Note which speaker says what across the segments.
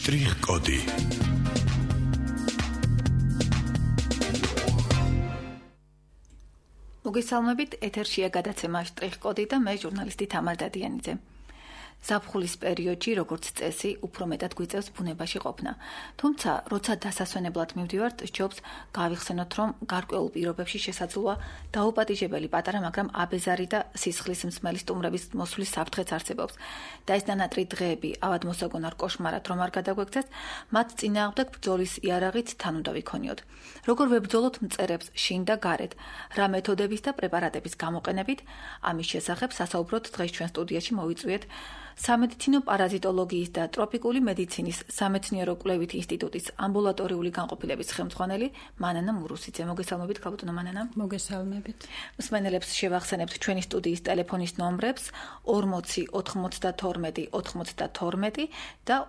Speaker 1: შტრიხ-კოდი.
Speaker 2: მოგესალმებით, ეთერშია გადაცემა შტრიხ-კოდი და მე ჟურნალისტი თამარ დადიანიძე. ზაფხულის პერიოდში, როგორც წესი, უფრო მეტად გვიწევს ბუნებაში ყოფნა. თუმცა, როცა დასასვენებლად მივდივართ, სჯობს გავიხსენოთ, რომ გარკვეულ პირობებში შესაძლოა დაუპატიჟებელი პატარა, მაგრამ აბეზარი და სისხლის მსმელი სტუმრების მოსვლის საფრთხეც არსებობს. და ეს დანატრი დღეები ავადმოსაგონარ კოშმარად რომ არ გადაგვექცეს, მათ წინააღმდეგ ბრძოლის იარაღით თან უნდა ვიქონიოთ. როგორ ვებრძოლოთ მწერებს შინ და გარეთ, რა მეთოდების და პრეპარატების გამოყენებით, ამის შესახებ სასაუბროდ დღეს ჩვენ სტუდიაში მოვიწვიეთ სამედიცინო პარაზიტოლოგიის და ტროპიკული მედიცინის სამეცნიერო კვლევით ინსტიტუტის ამბულატორიული განყოფილების ხელმძღვანელი მანანა მურუსიძე. მოგესალმებით, ქალბატონო მანანა.
Speaker 3: მოგესალმებით.
Speaker 2: მსმენელებს შევახსენებთ ჩვენი სტუდიის ტელეფონის ნომრებს 40 92 92 და 40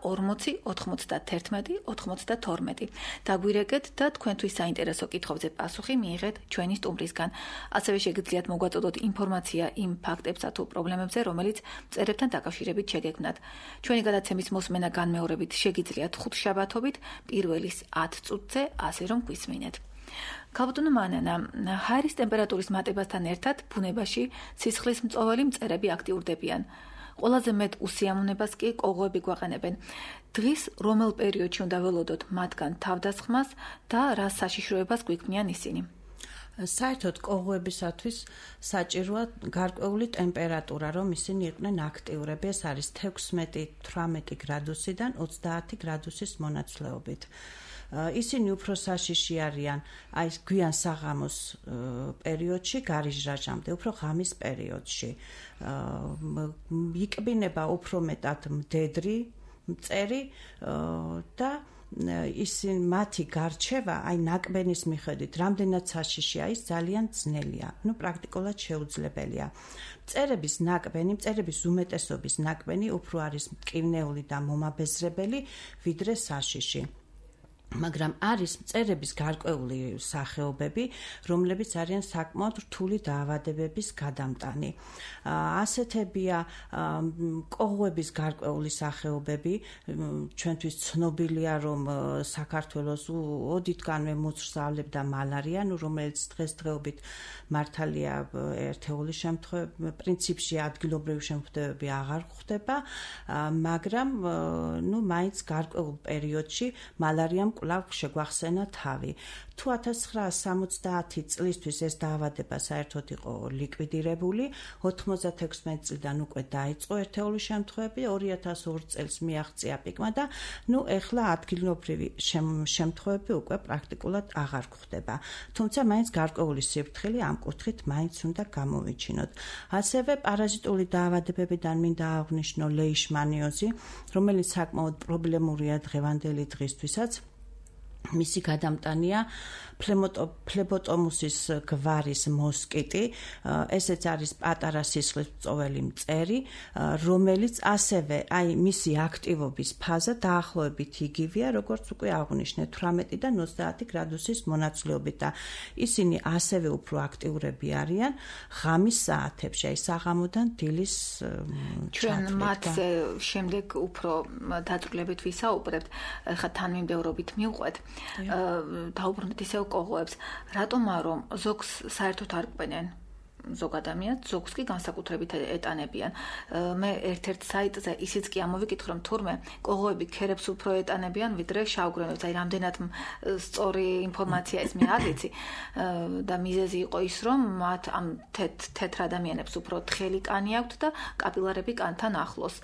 Speaker 2: 91 92. დაგვირეკეთ და თქვენთვის საინტერესო კითხვებზე პასუხი მიიღეთ ჩვენი სტუმრისგან. ასევე შეგიძლიათ მოგვაწოდოთ ინფორმაცია იმ ფაქტებსა თუ პრობლემებზე, რომელიც მწერებთან დაკავშირებით შეგექმნათ. ჩვენი გადაცემის მოსმენა განმეორებით შეგიძლიათ ხუთშაბათობით პირველის 10 წუთზე, ასე რომ გვისმინეთ. ქალბატონო მანანა, ჰაერის ტემპერატურის მატებასთან ერთად ბუნებაში სისხლის მწოველი მწერები აქტიურდებიან. ყველაზე მეტ უსიამოვნებას კი კოღოები გვაყენებენ. დღის რომელ პერიოდში უნდა ველოდოთ მათგან თავდასხმას და რა საშიშროებას გვიქმნიან ისინი?
Speaker 3: საერთოდ კოღოებისათვის საჭიროა გარკვეული ტემპერატურა, რომ ისინი იყვნენ აქტიურები. ეს არის 16-18 გრადუსიდან 30 გრადუსის მონაცვლეობით. ისინი უფრო საშიში არიან აი გვიან საღამოს პერიოდში, გარიჟრაჟამდე, უფრო ღამის პერიოდში. იკბინება უფრო მეტად მდედრი მწერი და ისინი მათი გარჩევა აი ნაკბენის მიხედვით რამდენად საშიშია ის ძალიან ძნელია, პრაქტიკულად შეუძლებელია. მწერების უმეტესობის ნაკბენი უფრო არის მტკივნეული და მომაბეზრებელი ვიდრე საშიში. მაგრამ არის მწერების გარკვეული სახეობები, რომლებიც არიან საკმაოდ რთული დაავადებების გადამტანი. ასეთებია კოღოების გარკვეული სახეობები, ჩვენთვის ცნობილია, რომ საქართველოს ოდითგანვე მოცრძავლებდა მალარია, რომელიც დღესდღეობით მართალია ერთეული შემთხვევები, პრინციპში ადგილობრივი შემთხვევები აღარ გვხდება, მაგრამ მაინც გარკვეულ პერიოდში მალარიამ კვლავ შეგვახსენა თავი. თუ 1970 წლისთვის ეს დაავადება საერთოდ იყო ლიკვიდირებული, 96 წლიდან უკვე დაიწყო ერთეული შემთხვევები, 2002 წელს მიაღწია პიკმა და ეხლა ადგილობრივი შემთხვევები უკვე პრაქტიკულად აღარ გვხდება. თუმცა მაინც გარკვეული სიფრთხილე ამ კუთხით მაინც უნდა გამოვიჩინოთ. ასევე პარაზიტული დაავადებებიდან მინდა აღვნიშნო ლეიშმანიოზი, რომელიც საკმაოდ პრობლემურია დღევანდელი დღისთვისაც. მისი გადამტანია ფლებოტომუსის გვარის მოსკიტი, ესეც არის პატარა სისხლის მწოველი მწერი, რომელიც ასევე მისი აქტივობის ფაზა დაახლოებით იგივეა, როგორც უკვე აღვნიშნეთ, 18-დან 30 გრადუსის მონაცვლეობით და ისინი ასევე უფრო აქტიურები არიან ღამის საათებში, საღამოდან დილის
Speaker 2: ჩვენ მათზე შემდეგ უფრო დაწვრილებით ვისაუბრებთ, ხა თანმიმდევრობით მივყვეთ. დაუბრუნდეთ ისევ კოღოებს. რატომა რომ ზოგს საერთოდ არ ყვენენ ზოგ ადამიანს, ზოგს კი განსაკუთრებით ეტანებიან. მე ერთ-ერთ საიტზე ისიც კი ამოვიკითხე, რომ თურმე კოღოები ქერებს უფრო ეტანებიან ვიდრე შავგვრემებს. რამდენად სწორი ინფორმაცია ეს მე არ ვიცი და მიზეზი იყო ის, რომ მათ ამ თეთრ ადამიანებს უფრო თხელი კანი აქვთ და კაპილარები კანთან ახლოს.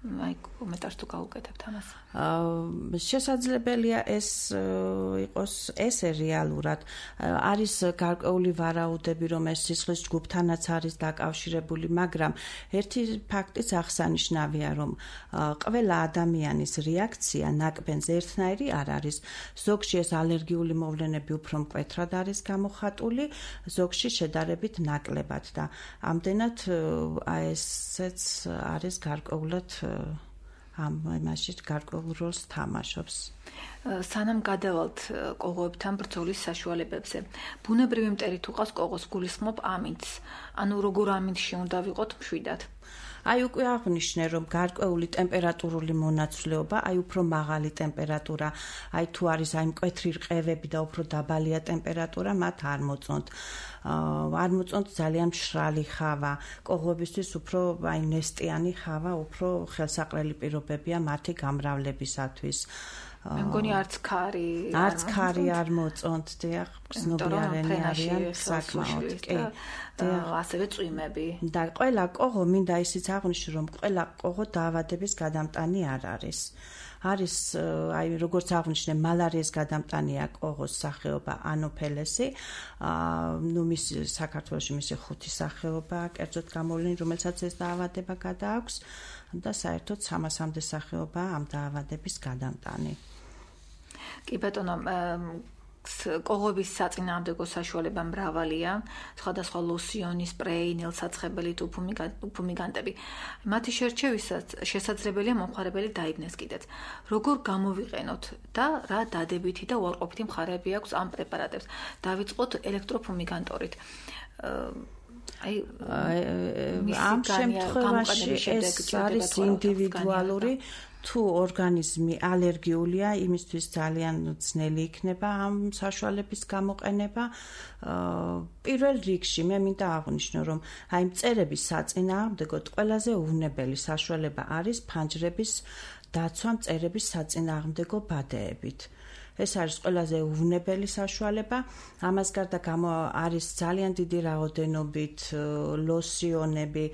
Speaker 2: კომენტარს თუ გავუკეთებთ ამას.
Speaker 3: შესაძლებელია ეს იყოს ესე რეალურად. არის გარკვეული ვარაუდები, რომ ეს სისხლის ჯგუფთანაც არის დაკავშირებული, მაგრამ ერთი ფაქტიც აღსანიშნავია, რომ ყველა ადამიანის რეაქცია ნაკბენზე ერთნაირი არ არის. ზოგში ეს ალერგიული მოვლენები უფრო მკვეთრად არის გამოხატული, ზოგში შედარებით ნაკლებად და ამდენად ესეც არის გარკვეულად ამ იმაში გარკვეულ როლს თამაშობს.
Speaker 2: სანამ გადავალთ კოღოებთან ბრძოლის საშუალებებზე, ბუნებრივი მტერი თუ ყავს კოღოს გულისხმობ ამინდს, ანუ როგორ ამინდში უნდა ვიყოთ მშვიდად.
Speaker 3: აი უკვე აღნიშნე რომ გარკვეული ტემპერატურული მონაცვლეობა, აი უფრო მაღალი ტემპერატურა, აი თუ არის აი მკვეთრი რყევები და უფრო დაბალია ტემპერატურა, მათ არ მოწონთ. არ მოწონთ ძალიან მშრალი ხავა, კოღოებისთვის უფრო აი ნესტიანი ხავა, უფრო ხელსაყრელი პირობებია მათი გამრავლებისათვის.
Speaker 2: მე მგონი არც ქარი
Speaker 3: არ მოწონთ, დიახ, გრძნობიარენი არიან საკმაოდ, კი.
Speaker 2: და ასევე წვიმები.
Speaker 3: და ყველა კოღო მინდა ისიც აღვნიშნო, რომ ყველა კოღო დაავადების გადამტანი არ არის. არის აი როგორც აღვნიშნე, მალარიის გადამტანია კოღოს სახეობა ანოფელესი, ნუ მის საქართველოში მისი 5 სახეობა, კერძოდ გამოვლინი, რომელსაც ეს დაავადება გადააქვს და საერთოდ 300-მდე სახეობაა ამ დაავადების გადამტანი.
Speaker 2: კი ბატონო, კოღოების საწინააღმდეგო საშუალება მრავალია, სხვადასხვა ლოსიონი, სპრეი, ნელსაცხებელი თუ უფუმიგანტები. მათი შერჩევისას შესაძლებელია მომხმარებელი დაიბნეს კიდეც. როგორ გამოვიყენოთ და რა დადებითი და უარყოფითი მხარეები აქვს ამ პრეპარატებს? დავიწყოთ ელექტროფუმიგანტორით.
Speaker 3: ამ შემთხვევაში ეს არის ინდივიდუალური თუ ორგანიზმი ალერგიულია, იმისთვის ძალიან ძნელი იქნება ამ საშუალების გამოყენება. პირველ რიგში მე მინდა აღვნიშნო, რომ აი მწერების საწინააღმდეგოდ ყველაზე უვნებელი საშუალება არის ფანჯრების დაცვა მწერების საწინააღმდეგო ბადეებით. ეს არის ყველაზე უვნებელი საშუალება. ამას გარდა არის ძალიან დიდი რაოდენობით ლოსიონები,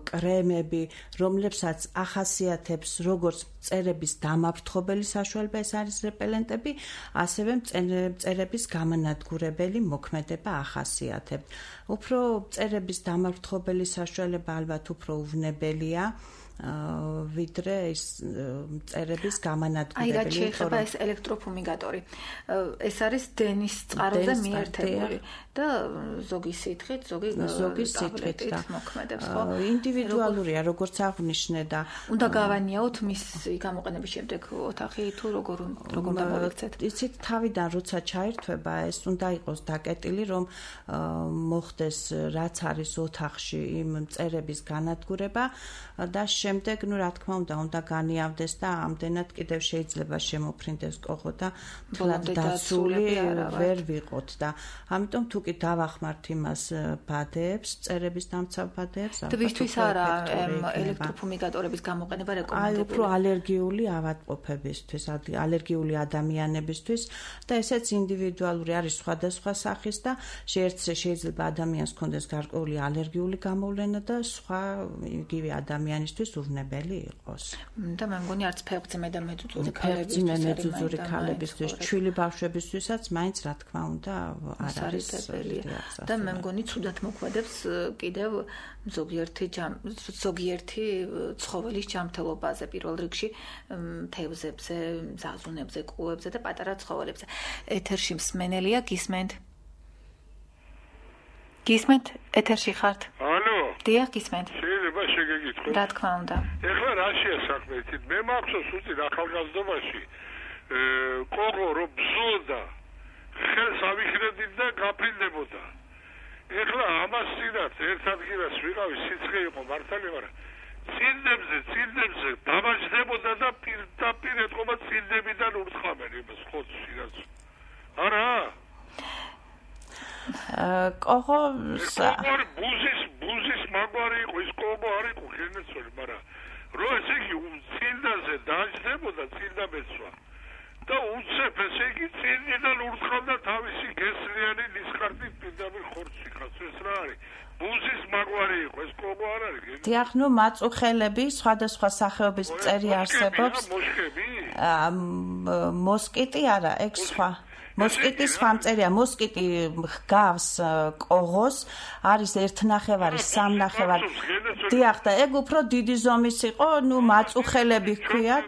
Speaker 3: კრემები, რომლებსაც ახასიათებს როგორც მწერების დამაფრთხობელი საშუალება, ეს არის რეპელენტები, ასევე მწერების გამანადგურებელი მოქმედება ახასიათებთ. უფრო მწერების დამაფრთხობელი საშუალება ალბათ უფრო უვნებელია. ვიდრე ის მწერების გამანადგურებელი.
Speaker 2: აი რა შეიძლება ეს ელექტროფუმიგატორი. ეს არის დენის წყაროზე მიერთებული და ზოგი სითხით, ზოგი სითხით და მოქმედებს, ხო?
Speaker 3: ინდივიდუალურია, როგორც აღვნიშნე და
Speaker 2: უნდა გავანიაოთ მის გამოყენების შემდეგ ოთახი თუ როგორ დამოვიქცეთ.
Speaker 3: იცით, თავიდან როცა ჩაირთვება, ეს უნდა იყოს დაკეტილი, რომ მოხდეს რაც არის ოთახში იმ მწერების განადგურება და შემდეგ, ნუ რა თქმა უნდა განიავდეს და ამდენად კიდევ შეიძლება შემოფრინდეს კოღო და თლად დაცული ვერ ვიყოთ და ამიტომ თუ კი დავახმართ იმას ბადეებს, მწერების დამცავ ბადეებს,
Speaker 2: თვისთვის არა ელექტროფუმიგატორების გამოყენება რეკომენდებული.
Speaker 3: აი უფრო ალერგიული ავადმყოფებისთვის, ალერგიული ადამიანებისთვის და ესეც ინდივიდუალური არის სხვადასხვა სახის და შეიძლება ადამიანს ჰქონდეს გარკვეული ალერგიული გამოვლენა და სხვა იგივე ადამიანისთვის უვნებელი იყოს.
Speaker 2: და მე მგონი არც ფეხბძიმე და მეძუძური
Speaker 3: ქალებისთვის, ჩვილი ბავშვებისთვისაც მაინც რა თქმა უნდა არ არის
Speaker 2: და მე მგონი ცუდად მოქმედებს კიდევ ზოგიერთი ცხოველის ჯანმრთელობაზე, პირველ რიგში თევზებზე, ზაზუნებზე, კუებზე და პატარა ცხოველებზე. ეთერში მსმენელია, გისმენთ? გისმენთ, ეთერში ხართ?
Speaker 1: ალო.
Speaker 2: დიახ, გისმენთ.
Speaker 1: შეიძლება შეგეკითხოთ?
Speaker 2: რა თქმა უნდა.
Speaker 1: ეხლა რაშია საქმე? მე მახსოვს უცით ახალგაზრდობაში კოღო რო ბზოდა, ხელს ავიხრედით და გაფრინდებოდა. ეხლა ამას წინათ ერთ ადგილას ვიყავი, სიცხე იყო მართალი, მაგრამ წინდებზე დამაჯდებოდა და პირდაპირ ეთყობა წინდებიდან ურთხამენ იმას ხოცს რაც. არა?
Speaker 3: კოღო
Speaker 1: ბუზის მაგვარი იყო, ის კოღო არ იყო გენეცოლი, მაგრამ რო ესე იგი წინდაზე დაჯდებოდა წინდაბეცვა და უცებ ესე იგი წინიდან ურთხავდა თავისი გესლიანი ნისკარტით პირდაპირ ხორცში ხას. ეს რა არის? ბუზის მაგვარი იყო, ეს კოღო არ არის?
Speaker 3: დიახ, ნუ მაწუხელები, სხვადასხვა სახეობის მწერი არსებობს. მოსკიტი არა, ეგ სხვა. მოსკიტი სხვა მწერია, მოსკიტი ჰგავს კოღოს, არის 1.5, 3.5. დიახ, და ეგ უფრო დიდი ზომის იყო, ნუ მაწუხელები ჰქვიათ.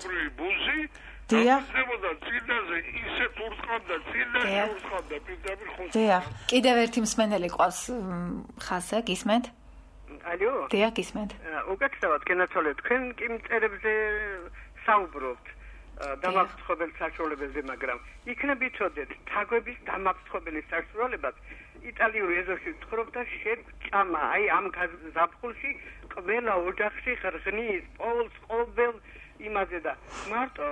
Speaker 3: დიახ.
Speaker 2: დიახ. კიდევ ერთი მსმენელი ყავს ხაზე, გისმენთ?
Speaker 4: ალო?
Speaker 2: დიახ, გისმენთ.
Speaker 4: უკეთესად გენაცვალეთ. თქვენ კი მწერებზე საუბრობთ დამაფრთხობელ საშუალებებზე, მაგრამ იქნებ იცოდეთ, თაგვების დამაფრთხობელი საშუალებაც იტალიური ეზოში ცხოვრობ და შეჭამა. აი ამ ზაფხულში ყველა ოჯახში ღრღნის, პოლს, ყოველ იმაზე და მარტო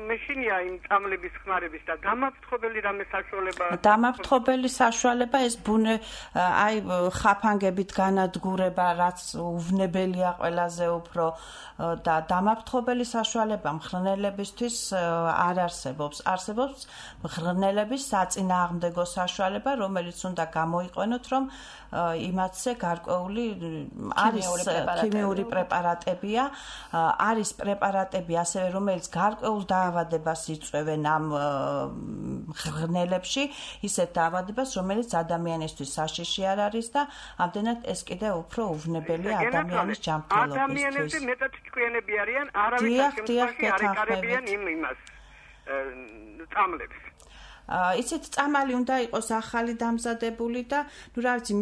Speaker 4: მეშინია იმ წამლების ხმარების და დამაფრთხობელი რამე საშუალება.
Speaker 3: დამაფრთხობელი საშუალება ეს ბუნე აი ხაფანგებით განადგურება, რაც უვნებელია ყველაზე უფრო და დამაფრთხობელი საშუალება მღრღნელებისთვის არ არსებობს. არსებობს მღრღნელების საწინააღმდეგო საშუალება, რომელიც უნდა გამოიყენოთ, რომ იმათზე გარკვეული არის ქიმიური პრეპარატებია, არის პრეპარატები ასევე, რომელიც გარკვეულ დაავადებას იწვევენ ამ მღრღნელებში, ისეთ დაავადებას, რომელიც ადამიანისთვის საშიში არ არის და ამდენად ეს კიდევ უფრო უვნებელია ადამიანის ჯანმრთელობისთვის.
Speaker 4: ადამიანებზე მეტად ჭკვიანები არიან, არავის შემთხვევაში არ ეკარებიან იმას წამლებს.
Speaker 3: იცით, წამალი უნდა იყოს ახალი დამზადებული და ნუ რა ვიცი,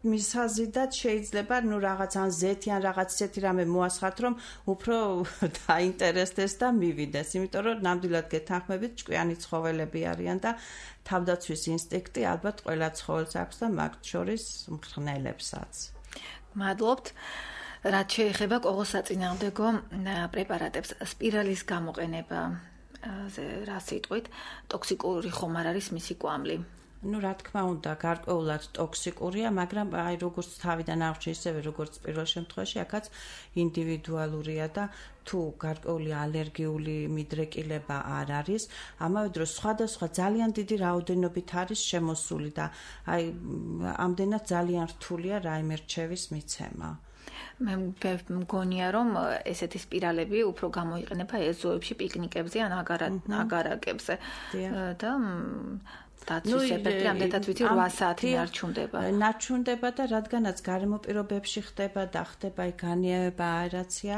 Speaker 3: მისაზიდად შეიძლება ნუ რაღაც ან ზეთი ან რაღაც ისეთი რამე მოასხათ, რომ უფრო დაინტერესდეს და მივიდეს, იმიტომ რომ ნამდვილად გეთანხმებით, ჭკვიანი ცხოველები არიან და თავდაცვის ინსტინქტი ალბათ ყველა ცხოველს აქვს და მათ შორის მღრღნელებსაც.
Speaker 2: მადლობთ. რაც შეეხება კოღოსაწინააღმდეგო პრეპარატებს, სპირალის გამოყენება რა სიტყვით, ტოქსიკური ხომ არ არის მისი კვამლი?
Speaker 3: ნუ რა თქმა უნდა, გარკვეულად ტოქსიკურია, მაგრამ აი როგორც თავიდან აღჭი, ისევე როგორც პირველ შემთხვევაში, აქაც ინდივიდუალურია და თუ გარკვეული ალერგიული მიდრეკილება არ არის, ამავე დროს სხვადასხვა ძალიან დიდი რაოდენობით არის შემოსული და აი ამდენად ძალიან რთულია რაიმე რჩევის მიცემა.
Speaker 2: მე მგონია, რომ ესეთი სპირალები უფრო გამოიყენება ეზოებში, პიკნიკებზე ან აგარაკებზე და დაცვის ეფექტი ამდენად ვიცი 8 საათი ნარჩუნდება.
Speaker 3: ნარჩუნდება და რადგანაც გარემო პირობებში ხდება და ხდება განიავება, აერაცია,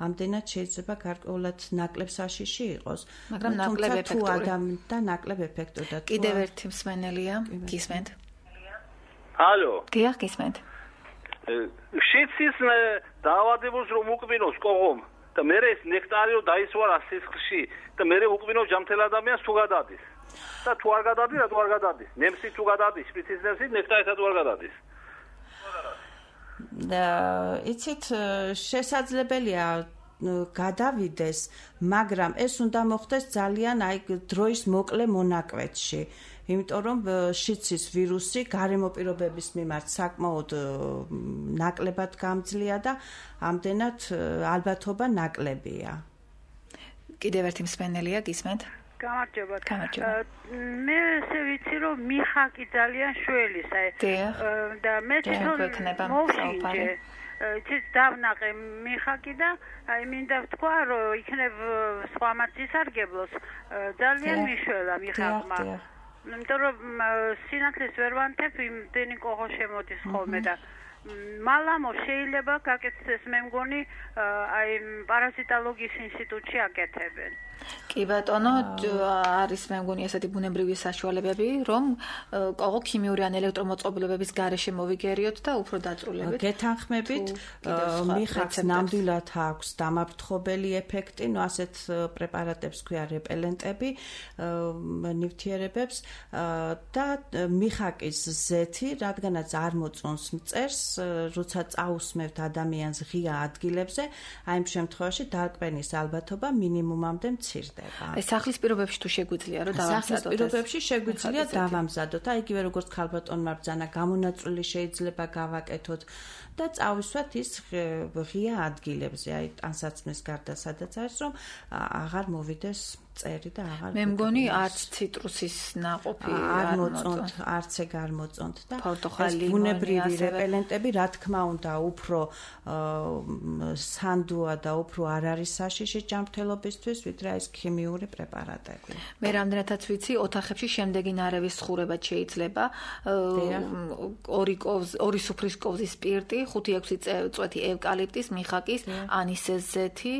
Speaker 3: ამდენად შეიძლება გარკვეულად ნაკლებ საშიში იყოს.
Speaker 2: მაგრამ ნაკლებ ეფექტური
Speaker 3: და ნაკლებ ეფექტური.
Speaker 2: კიდევ ერთი მსმენელია, გისმენთ?
Speaker 5: ალო.
Speaker 2: დიახ, გისმენთ.
Speaker 5: შიცის დაავადებას რომ უკბინოს კოღომ და მე ეს ნექტარიო დაისვარა სისხლში და მე უკბინო ჯამთელ ადამიანს თუ გადადის და თუ არ გადადის, რატო არ გადადის? ნემსი თუ გადადის, შპიცის ნემსი ნექტარითა თუ არ გადადის?
Speaker 3: იცით, შესაძლებელია გადავიდეს, მაგრამ ეს უნდა მოხდეს ძალიან აი დროის მოკლე მონაკვეთში. იმიტომ რომ შიცის ვირუსი გარემო პირობების მიმართ საკმაოდ ნაკლებად გამძლეა და ამდენად ალბათობა ნაკლებია.
Speaker 2: კიდევ ერთი მსმენელია, გისმენთ?
Speaker 6: გამარჯობა.
Speaker 2: გამარჯობა.
Speaker 6: მე ესე ვიცი, რომ მიხაკი ძალიან შველის, აი და მე თვითონ მოვშინჯე. ცით დავნაყე მიხაკი და აი მინდა ვთქვა, რომ იქნებ სხვამაც ისარგებლოს, ძალიან მიშველა მიხაკმა. იმიტომ რომ სინათლეს ვერ ვანთებ, იმდენი კოღო შემოდის ხოლმე და მალამო შეიძლება გაკეთდეს, მე მგონი აი პარაზიტოლოგიის ინსტიტუტში აკეთებენ.
Speaker 2: კი ბატონო, არის მე მგონი ესეთი ბუნებრივი საშუალებები, რომ კოღო ქიმიური ან ელექტრომოწყობილობების გარეშე მოვიგერიოთ და უფრო დაწვრილებით.
Speaker 3: გეთანხმებით, მიხაკს ნამდვილად აქვს დამაფრთხობელი ეფექტი, ნუ ასეთ პრეპარატებს ქვია რეპელენტები, ნივთიერებებს და მიხაკის ზეთი, რადგანაც არ მოწონს მწერს, როცა წაусმევთ ადამიანს ღია ადგილებზე, აი ამ შემთხვევაში დარკვენის ალბათობა მინიმუმამდე მცირდება.
Speaker 2: ეს სახლის პირობებში თუ შეგვიძლია რომ დავამზადოთ.
Speaker 3: სახლის პირობებში შეგვიძლია დავამზადოთ. აი იგივე როგორც ქალბატონმა ბრძანა, გამონაწვილი შეიძლება გავაკეთოთ და წავისვათ ის ღია ადგილებზე, აი ტანსაცმლის გარდა სადაც არის, რომ აღარ მოვიდეს წერი და აღარ
Speaker 2: მე მგონი არც ციტრუსის ნაყოფი
Speaker 3: არ მოწონთ, არც ეგ არ მოწონთ და
Speaker 2: პორტოხალი,
Speaker 3: ბუნებრივი რეპელენტები, რა თქმა უნდა, უფრო სანდოა და უფრო არ არის საშიში ჯანმრთელობისთვის, ვიდრე ეს ქიმიური პრეპარატები.
Speaker 2: მე რამდენადაც ვიცი, ოთახებში შემდეგი ნარევის ხურება შეიძლება, ორი სუფრის კოვზის სპირტი, 5-6 წვეთი ევკალიპტის, მიხაკის, ანისეს ზეთი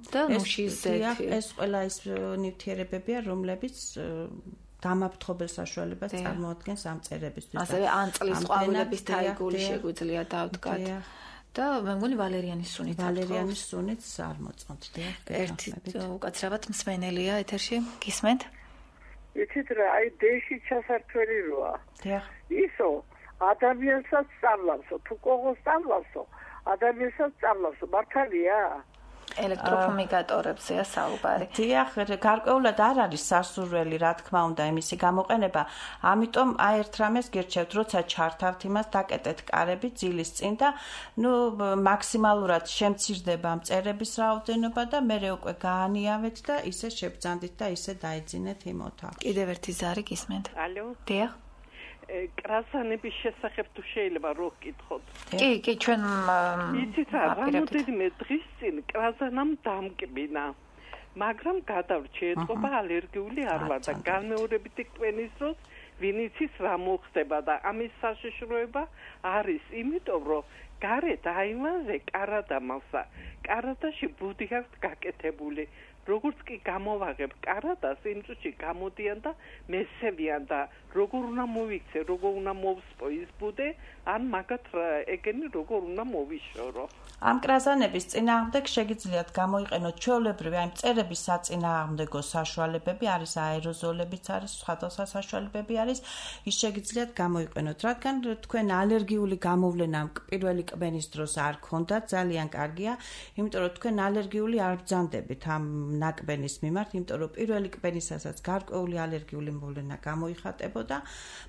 Speaker 2: და ნუშის ზეთი.
Speaker 3: ეს ყველა ის ნივთიერებებია, რომლებიც დამაფრთხობელ საშუალებას წარმოადგენს ამ წერებისთვის.
Speaker 2: ასევე ან წლის ყვავილების თაიგული შეგვიძლია დავდგათ. და მე მგონი ვალერიანის სუნიც
Speaker 3: არ მოწონთ.
Speaker 2: ერთი უკაცრავად მსმენელია ეთერში, გისმენთ?
Speaker 7: იცით რა, აი დეში ჩასართველი როა. ისო ადამიანსაც სწავლავსო, თუ კოღოს სწავლავსო, ადამიანსაც სწავლავსო, მართალია?
Speaker 2: ელექტროფუმიგატორებზეა საუბარი.
Speaker 3: დიახ, გარკვეულად არ არის სასურველი, რა თქმა უნდა, იმისი გამოყენება. ამიტომ აი ერთ რამეს გირჩევთ, როცა ჩართავთ იმას, დაკეტეთ კარები ძილის წინ და მაქსიმალურად შემცირდება მწერების რაოდენობა და მერე უკვე გაანიავეთ და ისე შებრძანდით და ისე დაიძინეთ იმ ოთახში.
Speaker 2: კიდევ ერთი ზარი გისმენთ?
Speaker 7: ალო?
Speaker 2: დიახ.
Speaker 7: კრაზანების შესახებ თუ შეიძლება რო გკითხოთ.
Speaker 2: კი, ჩვენ
Speaker 7: იცით რა, რამოდენიმე დღის წინ კრაზანამ დამკბინა. მაგრამ გადავრჩი ეტყობა ალერგიული არ ვარ და განმეორებითი კბენის დროს ვინ იცის რა მოხდება და ამის საშიშროება არის იმიტომ რომ გარეთ აივანზე კარადამალსა. კარადაში ბუდი აქვს გაკეთებული. როგორც კი გამოვაღებ კარადას, იმ წუთში გამოდიან და მესევიან და როგორ უნდა მოვიქცე, როგორ უნდა მოვსპო ის ბუდე, ან მაგათ ეგენი როგორ უნდა მოვიშორო.
Speaker 3: ამ კრაზანების წინააღმდეგ შეგიძლიათ გამოიყენოთ ჩვეულებრივი აი მწერების საწინააღმდეგო საშუალებები, არის აეროზოლებიც არის, სხვადასხვა საშუალებები არის, ის შეგიძლიათ გამოიყენოთ, რადგან თქვენ ალერგიული გამოვლენა პირველი კბენის დროს არ ქონდათ, ძალიან კარგია, იმიტომ რომ თქვენ ალერგიული არ ბრძანდებით ამ ნაკბენის მიმართ, იმიტომ რომ პირველი კბენისასაც გარკვეული ალერგიული მოვლენა გამოიხატებოდა,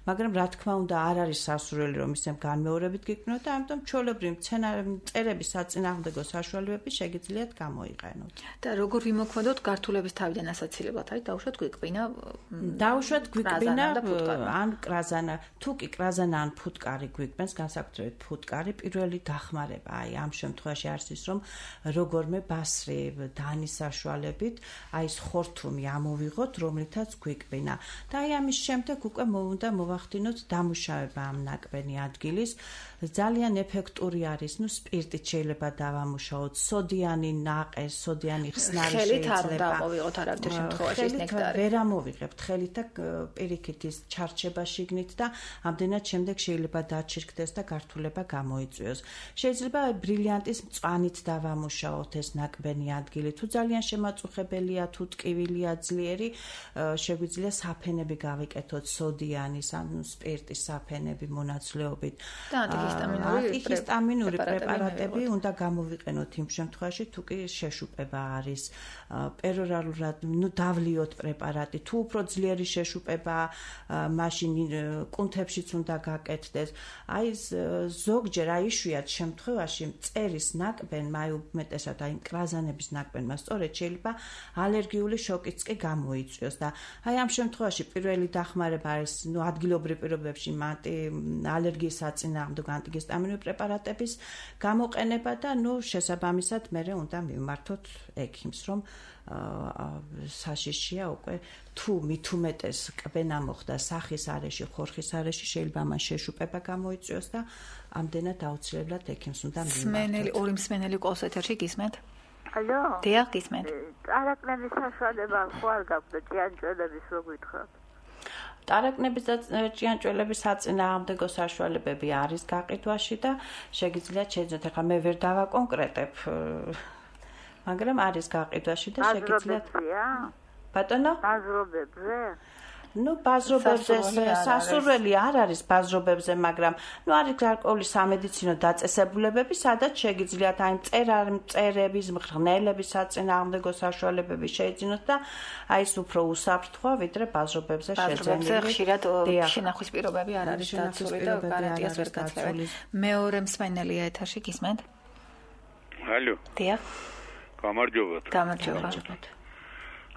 Speaker 3: მაგრამ რა თქმა უნდა არ არის სასურველი რომ ისე განმეორებით გიქმნოთ და ამიტომ ჩვეულებრივი მწერების საწინააღმდეგო საშუალებები შეგიძლიათ გამოიყენოთ.
Speaker 2: და როგორ ვიმოქმედოთ გართულების თავიდან ასაცილებლად, არის დაუშვათ გვიკვინა
Speaker 3: ან კრაზანა, თუ კი კრაზანა ან ფუტკარი გვიკვენს, განსაკუთრებით ფუტკარი, პირველი დახმარება, აი ამ შემთხვევაში არის ის რომ როგორმე ბასრი დანის საშუალებით აი ეს ხორთუმი ამოვიღოთ, რომლითაც გვიკვინა. და აი ამის შემდეგ უკვე უნდა მოვახდინოთ დამუშავება ამ ნაკბენი ადგილის. ძალიან ეფექტური არის, სპირტით შეიძლება დავამუშაოთ, სოდიანი ნაყე, სოდიანი ხსნარი
Speaker 2: შეიძლება. ხელით არ უნდა ავიღოთ არავითარ შემთხვევაში ეს ნექტარი.
Speaker 3: ვერ ამოვიღებთ ხელით და პირიქით ის ჩარჩება შიგნით და ამდენად შემდეგ შეიძლება დაჩირკდეს და გართულება გამოიწვიოს. შეიძლება ბრილიანტის მწვანით დავამუშაოთ ეს ნაკბენი ადგილი. თუ ძალიან შემაწუხებელია, თუ ტკივილია ძლიერი, შეგვიძლია საფენები გავიკეთოთ სოდიანის ან სპირტის საფენები მონაცვლეობით. ანტიჰისტამინური პრეპარატები უნდა გამოვიყენოთ იმ შემთხვევაში, თუ კი შეშუპება არის. პერორალურად, დავლიოთ პრეპარატი, თუ უფრო ძლიერი შეშუპება, მაშინ კუნთებშიც უნდა გაკეთდეს. აი ზოგჯერ აი იშვიათ შემთხვევაში მწერის ნაკბენმა, აი უმეტესად აი კრაზანების ნაკბენმა სწორედ შეიძლება ალერგიული შოკიც კი გამოიწვიოს და აი ამ შემთხვევაში პირველი დახმარება არის ადგილობრივ პირობებში ალერგიის საწინააღმდეგო ანტიგისტამინური პრეპარატების გამოყენება და შესაბამისად მერე უნდა მივმართოთ ექიმს, რომ საშიშია უკვე თუ მით უმეტეს კბენა მოხდა სახის არეში, ხორხის არეში, შეიძლება მან შეშუპება გამოიწვიოს და ამდენად აუცილებლად ექიმს უნდა მივმართოთ.
Speaker 2: ორი მსმენელი ყავს ეთერში, გისმენთ?
Speaker 8: ალო?
Speaker 2: დიახ, გისმენთ.
Speaker 8: ტარაკნების საშუალება ხო არ გაქვთ ჭიანჭველების რო გითხრათ?
Speaker 3: ტარაკნების და ჭიანჭველების საწინააღმდეგო საშუალებები არის გაყიდვაში და შეგიძლიათ შეძინოთ. ახლა მე ვერ დავაკონკრეტებ, მაგრამ არის გაყიდვაში და შეგიძლიათ. ბატონო?
Speaker 8: ბაზრობებზე?
Speaker 3: ბაზრობებზე სასურველი არ არის ბაზრობებზე, მაგრამ არის გარკვეული სამედიცინო დაწესებულებები, სადაც შეგიძლიათ აი მწერების, მღრღნელების საწინააღმდეგო საშუალებები შეიძინოთ და აი ეს უფრო უსაფრთხოა, ვიდრე ბაზრობებზე შეძენილი.
Speaker 2: ბაზრობებზე ხშირად შენახვის პირობები არ არის დაცული და გარანტიას ვერ გაძლევენ. მეორე მსმენელია ეთერში, გისმენთ?
Speaker 1: ალო.
Speaker 2: დიახ.
Speaker 1: გამარჯობა.
Speaker 2: გამარჯობა.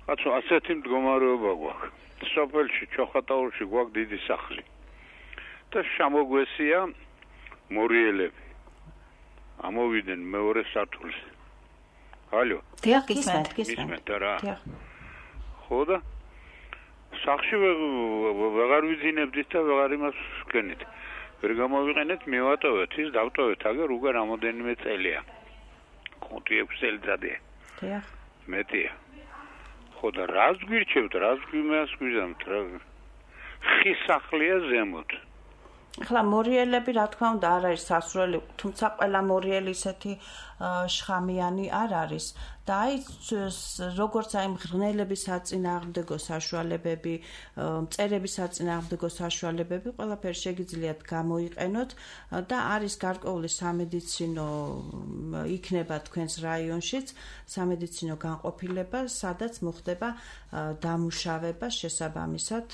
Speaker 1: კაცო, ასეთი მდგომარეობა გვაქვს. სოფელში ჩოხატაურში გვაქვს დიდი სახლი და შემოგვესია მორიელები ამოვიდნენ მეორე სართულზე. ალო?
Speaker 2: დიახ, გისმენთ.
Speaker 1: რა? ხო და სახლში ვეღარ ვიძინებდით და ვეღარ იმას ვქენით. ვერ გამოვიყენეთ, მივატოვეთ ის, დავტოვეთ აგერ უკვე რამოდენიმე წელია. 5-6 წელიწადია.
Speaker 3: დიახ.
Speaker 1: მეტია. ხო და რას გვირჩევთ, რას გვიმას გვიზამთ რა?
Speaker 9: ხის სახლია ზემოთ.
Speaker 3: ახლა მორიელები რა თქმა უნდა არ არის სასურველი, თუმცა ყველა მორიელი ისეთი შხამიანი არ არის და აი როგორც აი მღრღნელების საწინააღმდეგო საშუალებები, მწერების საწინააღმდეგო საშუალებები ყველაფერი შეგიძლიათ გამოიყენოთ და არის გარკვეული სამედიცინო იქნება თქვენს რაიონშიც სამედიცინო განყოფილება, სადაც მოხდება დამუშავება შესაბამისად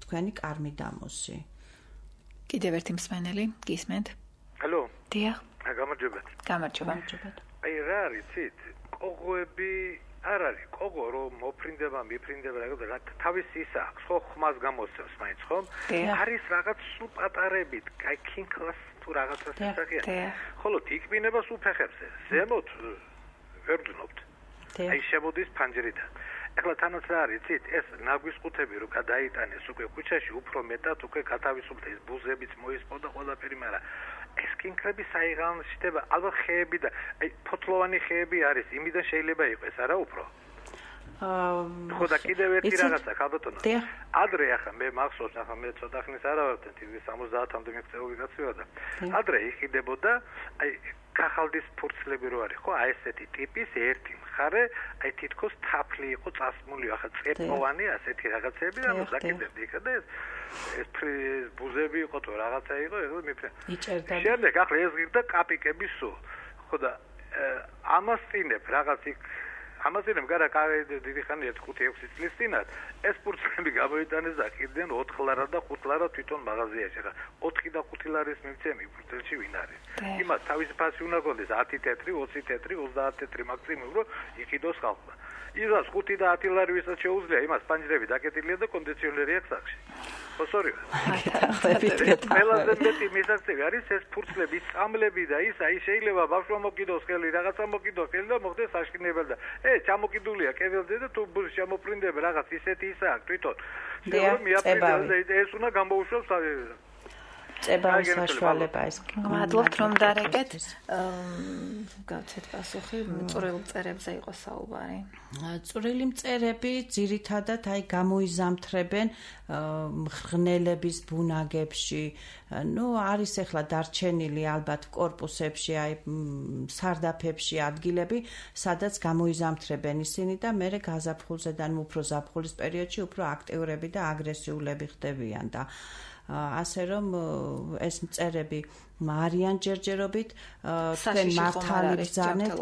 Speaker 3: თქვენი კარმიდამოსი.
Speaker 2: კიდევ ერთი მსმენელი, გისმენთ?
Speaker 10: ალო.
Speaker 2: დიახ.
Speaker 10: გამარჯობათ.
Speaker 2: გამარჯობათ.
Speaker 10: აი რა არის, ცით? კოღოები არ არის. კოღო რომ მოფრინდება, მიფრინდება რა თავის ის აქვს, ხო ხმას გამოსცემს მაინც, ხო? არის რაღაც სულ პატარებით, აი კინკლას თუ რაღაცას ისახია. ხოლო თიკბინებას უფეხებზე, ზემოთ ვერ ვძნობთ. აი შემოდის ფანჯრიდან. ეხლა თანაც რა არის, ცით, ეს ნაგვის ყუთები რო გადაიტანეს უკვე ქუჩაში, უფრო მეტად უკვე გათავისუფლდა ეს ბუზებიც მოისპოდა ყველაფერი, მაგრამ ეს კინკლები საიღალშდება, ალბათ ხეები და აი ფოთლოვანი ხეები არის, იმიდან შეიძლება იყოს, არა უფრო? ხო და კიდევ ერთი რაღაცა, ხალბატონო. ადრე ახლა მე მახსოვს, ახლა მე ცოტა ხნის არა ვარ, 70-მდე მიღწეული კაცია და ადრე იყიდებოდა აი კახალდის ფურცლები რო არის, ხო, აი ესეთი ტიპის ერთი მხარე, აი თითქოს თაფლი იყო წასმული, ახლა წერტოვანი ასეთი რაღაცები და მოზაკებდი იქ და ეს ბუზები იყო თუ რაღაცა იყო, ეხლა მიფრე. შემდეგ ახლა ეს ღირდა კაპიკები სულ. ხო და ამას წინებ რაღაც იქ ამაზინებ გარა დიდი ხანი 1-5-6 წლის წინათ ეს ფურცლები გამოიტანეს და ყიდნენ 4 ლარა და 5 ლარა თვითონ მაღაზიაში. ხა 4 და 5 ლარის მივცემი ფურცელში ვინ არის? იმას თავისი ფასი უნდა გონდეს 10 თეთრი, 20 თეთრი, 30 თეთრი მაქსიმუმ რომ იყიდოს ხალხმა. იზას 5 და 10 ლარი ვისაც შეუძლია, იმას პანჯრები დაკეტილია და კონდიციონერი აქვს სახში. ხოსორიო. ყველაზე მეტი მისაღწევი არის ეს ფურცლები, წამლები და ის აი შეიძლება ბავშვმა მოკიდოს ხელი, რაღაცა მოკიდოს ხელი და მოხდეს საშკინებელი და ჩამოკიდულია კეველზე და თუ შემოფრინდება რაღაც ისეთი ისა აქვს თვითონ. შეიძლება მიაფრინდეს და ეს უნდა გამოუშვოს
Speaker 3: წებავის საშუალება ეს.
Speaker 2: მადლობთ რომ დარეკეთ. გავცეთ პასუხი, წვრილ მწერებზე იყო საუბარი.
Speaker 3: წვრილი მწერები ძირითადად აი გამოიზამთრებენ მღრღნელების ბუნაგებში. ნუ არის ახლა დარჩენილი ალბათ კორპუსებში, აი სარდაფებში ადგილები, სადაც გამოიზამთრებენ ისინი და მე გაზაფხულზედან უფრო ზაფხულის პერიოდში უფრო აქტიურები და აგრესიულები ხდებიან და ასე რომ ეს მწერები არიან ჯერჯერობით თქვენ მართალი ბრძანეთ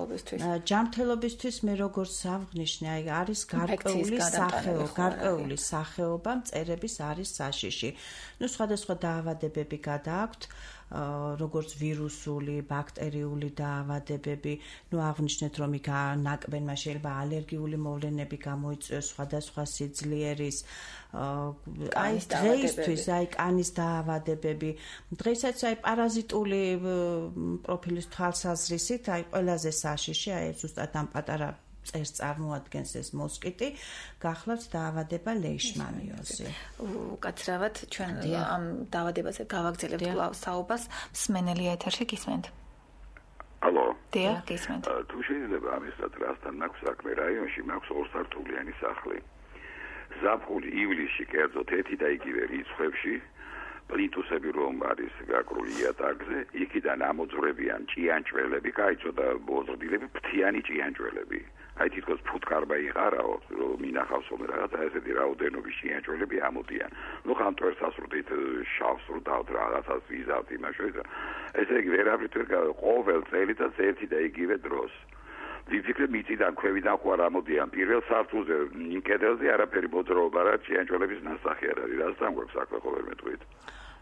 Speaker 3: ჯანმრთელობისთვის მე როგორც აღნიშნე აი არის გარკვეული სახეობა მწერების არის საშიში. ნუ სხვადასხვა დაავადებები გადააქვთ როგორც ვირუსული, ბაქტერიული დაავადებები, ნუ აღნიშნეთ რომ იქ ნაკბენმა შეიძლება ალერგიული მოვლენები გამოიწვიოს სხვადასხვა სიძლიერის აი დღეისთვის აი კანის დაავადებები, დღესაც აი პარაზიტული პროფილის თვალსაზრისით აი ყველაზე საშიში აი ზუსტად ამ პატარა წერს წარმოადგენს ეს მოსკიტი, გახლავთ დაავადება ლეიშმანიოზი.
Speaker 2: უკაცრავად ჩვენ ამ დაავადებაზე გავაგრძელებთ კვლავ საუბარს. მსმენელი ეთერში გისმენთ?
Speaker 11: ალო.
Speaker 2: დიახ, გისმენთ.
Speaker 11: თუ შეიძლება ამისთან რასთან მაქვს საქმე რაიონში, მაქვს ორსართულიანი სახლი. ზაფხული, ივლისში, კერძოდ ერთი და იგივე რიცხვებში პლინტუსები რომ არის გაკრული იატაკზე, იქიდან ამოძვრებიან ჭიანჭველები, კაიცოდა ბოზრდილები, ფრთიანი ჭიანჭველები. აი თითქოს ფუტკარბა იყარაო, რომ მინახავს რომ რაღაცა ესეთი რაოდენობის ჭიანჭველები ამოდიან. ნუ ხანტვერს ასრუდით შავს რუდავთ რაღაცას ვიზავთ იმაშოიც. ესე იგი ვერავით ყოველ წელიწადს ერთი და იგივე დროს. ვიფიქრე მიწიდან ქვევიდან ხო არ ამოდიან პირველ სართულზე, კედელზე არაფერი მოძრაობა რა ჭიანჭველების ნასახი არ არის. რასთან გვაქვს საქმე ყოველ მეტყვით.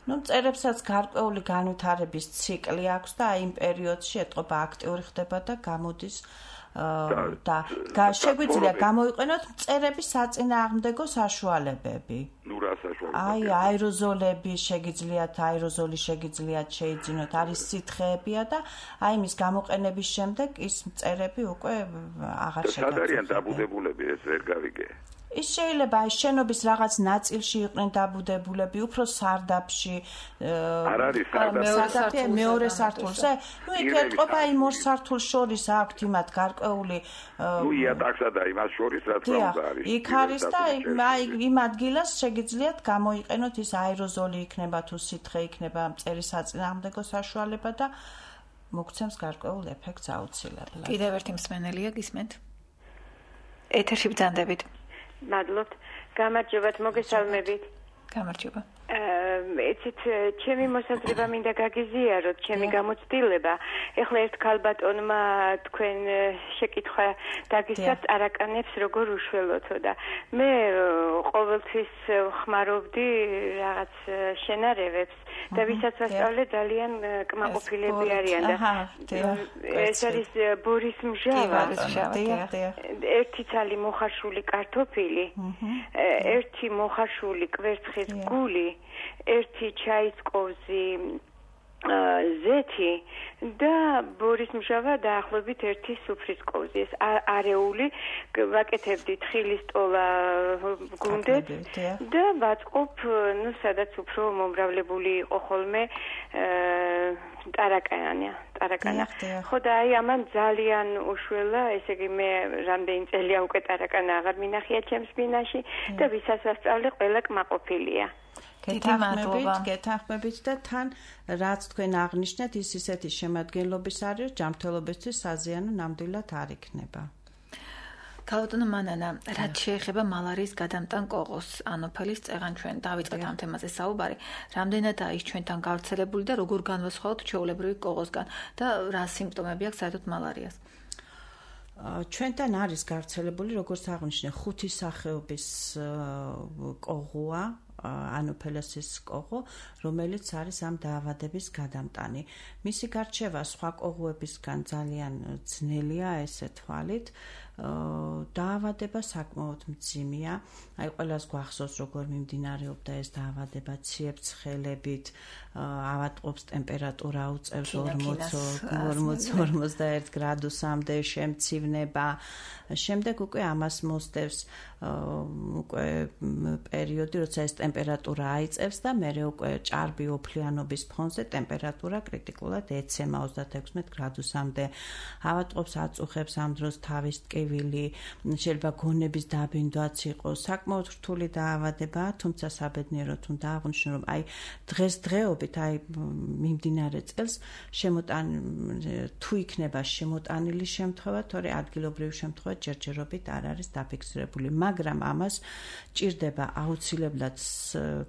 Speaker 3: ნუ მწერებსაც გარკვეული განვითარების ციკლი აქვს და აი იმ პერიოდში ეტყობა აქტიური ხდება და გამოდის და შეგვიძლია გამოიყენოთ მწერების საწინააღმდეგო საშუალებები.
Speaker 11: ნუ რა საშუალებები?
Speaker 3: აი აეროზოლები შეგიძლიათ, აეროზოლი შეგიძლიათ შეიძინოთ, არის სითხეებია და აი მის გამოყენების შემდეგ ის მწერები უკვე აღარ შეგიძლიათ.
Speaker 11: სად არიან დაბუდებულები ეს ვერ გავიგე.
Speaker 3: ის შეიძლება აი შენობის რაღაც ნაწილში იყვნენ დაბუდებულები, უფრო სარდაფში.
Speaker 11: არ არის
Speaker 3: სარდაფი მეორე სართულზე. ნუ იქ ეტყობა იმ ორ სართულს შორის აქვთ იმათ გარკვეული
Speaker 11: ნუ იატაკსა და იმას შორის რაც უნდა არის.
Speaker 3: იქ არის და აი იმ ადგილას შეგიძლიათ გამოიყენოთ ის აეროზოლი იქნება თუ სითხე იქნება მწერის საწინააღმდეგო საშუალება და მოგცემს გარკვეულ ეფექტს აუცილებლად.
Speaker 2: კიდევ ერთი მსმენელია გისმენთ? ეთერში ბრძანდებით.
Speaker 12: მადლობთ. გამარჯობათ, მოგესალმებით.
Speaker 2: გამარჯობა.
Speaker 12: იცით, ჩემი მოსაზრება მინდა გაგიზიაროთ, ჩემი გამოცდილება. ეხლა ერთ ქალბატონმა თქვენ შეკითხვა დაგისცათ არაკანებს როგორ უშველოთო და მე ყოველთვის ხმარობდი რაღაც შენარევებს და ვისაც ვასწავლე ძალიან კმაყოფილები არიან და ეს არის ბორის მჟავა. ერთი ცალი მოხარშული კარტოფილი, ერთი მოხარშული კვერცხის გული, ერთი ჩაის კოვზი ზეთი და ბორის მჟავა დაახლოებით ერთი სუფრის კოვზი. ეს არეული ვაკეთებდი თხილის ტოლა გუნდეთ და ვაწყობ, ნუ სადაც უფრო მომრავლებული იყო ხოლმე ტარაკანა. ხო და აი ამან ძალიან უშველა, ესე იგი მე რამდენი წელია უკვე ტარაკანა აღარ მინახია ჩემს ბინაში და ვისაც ვასწავლე ყველა კმაყოფილია.
Speaker 3: გეთანხმებით და თან რაც თქვენ აღნიშნეთ ის ისეთი შემადგენლობის არის, ჯანმრთელობისთვის საზიანო ნამდვილად არ იქნება.
Speaker 2: ქალბატონო მანანა, რაც შეეხება მალარიის გადამტან კოღოს, ანოფელის წეღან ჩვენ დავიწყეთ ამ თემაზე საუბარი. რამდენადაა ის ჩვენთან გავრცელებული და როგორ განვასხვაოთ ჩვეულებრივი კოღოსგან და რა სიმპტომები აქვს საერთოდ მალარიას?
Speaker 3: ჩვენთან არის გავრცელებული, როგორც აღნიშნე, 5 სახეობის კოღოა, ანოფელესის კოღო, რომელიც არის ამ დაავადების გადამტანი. მისი გარჩევა სხვა კოღოებისგან ძალიან ძნელია, ესე თვალით. დაავადება საკმაოდ მძიმეა. აი ყველას გვახსოვს როგორ მიმდინარეობდა ეს დაავადება ციებ-ცხელებით, ავადმყოფს ტემპერატურა უწევს 40-41 გრადუსამდე, შემცივნება. შემდეგ უკვე ამას მოსდევს უკვე პერიოდი, როცა ეს ტემპერატურა აიწევს და მერე უკვე ჭარბი ოფლიანობის ფონზე ტემპერატურა კრიტიკულად ეცემა 36 გრადუსამდე. ავადმყოფს აწუხებს ამ დროს თავის ტკივილი, შეიძლება გონების დაბინდვაც იყოს. საკმაოდ რთული დაავადებაა, თუმცა საბედნიეროდ უნდა აღვნიშნო, რომ აი დღესდღეობით აი მიმდინარე წელს თუ იქნება შემოტანილი შემთხვევა, თორე ადგილობრივი შემთხვევა ჯერჯერობით არ არის დაფიქსირებული, მაგრამ ამას ჭირდება აუცილებლად